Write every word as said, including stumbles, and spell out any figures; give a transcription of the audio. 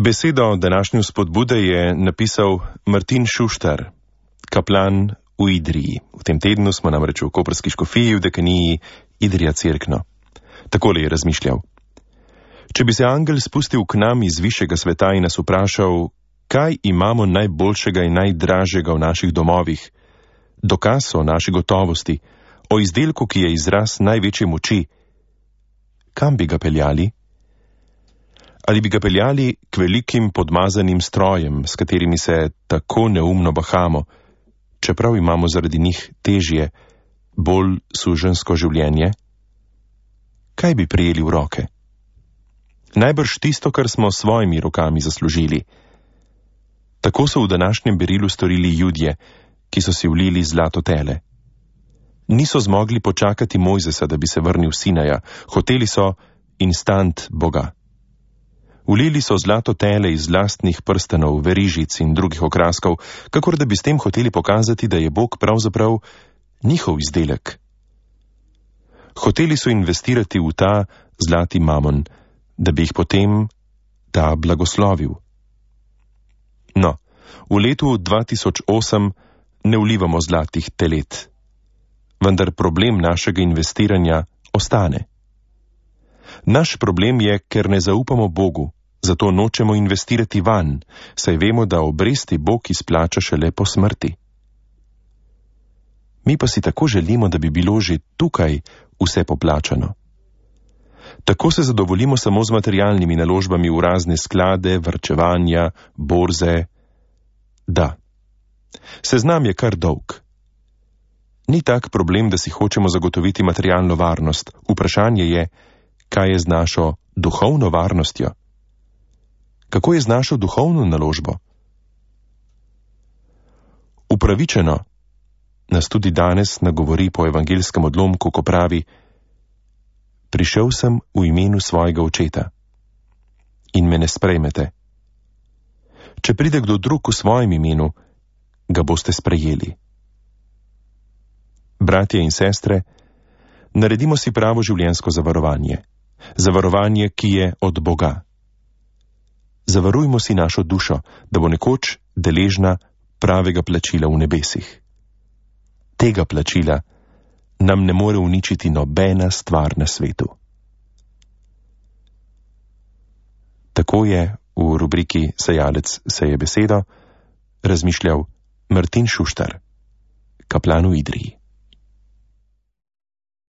Besedo današnje spodbude je napisal Martin Šuštar, kaplan v Idriji. V tem tednu smo namreč v koprski škofiji v dekaniji Idrija Cerkno. Takole je razmišljal. Če bi se angel spustil k nam iz višjega sveta in nas vprašal, kaj imamo najboljšega in najdražjega v naših domovih, dokaz o naši gotovosti, o izdelku, ki je izraz največje moči, kam bi ga peljali? Ali bi ga peljali k velikim podmazanim strojem, s katerimi se tako neumno bahamo, čeprav imamo zaradi njih težje, bolj suženjsko življenje? Kaj bi prijeli v roke? Najbrž tisto, kar smo s svojimi rokami zaslužili. Tako so v današnjem berilu storili Judje, ki so si vlili zlato tele. Niso zmogli počakati Mojzesa, da bi se vrnil Sinaja, hoteli so instant Boga. Vlili so zlato tele iz lastnih prstanov, verižic in drugih okraskov, kakor da bi s tem hoteli pokazati, da je Bog pravzaprav njihov izdelek. Hoteli so investirati v ta zlati mamon, da bi jih potem ta blagoslovil. No, v letu dva tisoč osem ne vlivamo zlatih telet, vendar problem našega investiranja ostane. Naš problem je, ker ne zaupamo Bogu, zato nočemo investirati vanj, saj vemo, da obresti Bog izplača šele po smrti. Mi pa si tako želimo, da bi bilo že tukaj vse poplačano. Tako se zadovoljimo samo z materialnimi naložbami v razne sklade, varčevanja, borze. Da, seznam je kar dolg. Ni tak problem, da si hočemo zagotoviti materialno varnost. Vprašanje je, kaj je z našo duhovno varnostjo? Kako je z našo duhovno naložbo? Upravičeno nas tudi danes nagovori po evangeljskem odlomku, ko pravi: prišel sem v imenu svojega očeta in me ne sprejmete. Če pride kdo drug v svojem imenu, ga boste sprejeli. Bratje in sestre, naredimo si pravo življenjsko zavarovanje. Zavarovanje, ki je od Boga. Zavarujmo si našo dušo, da bo nekoč deležna pravega plačila v nebesih. Tega plačila nam ne more uničiti nobena stvar na svetu. Tako je v rubriki Sejalec seje besedo razmišljal Martin Šuštar, kaplan v Idriji.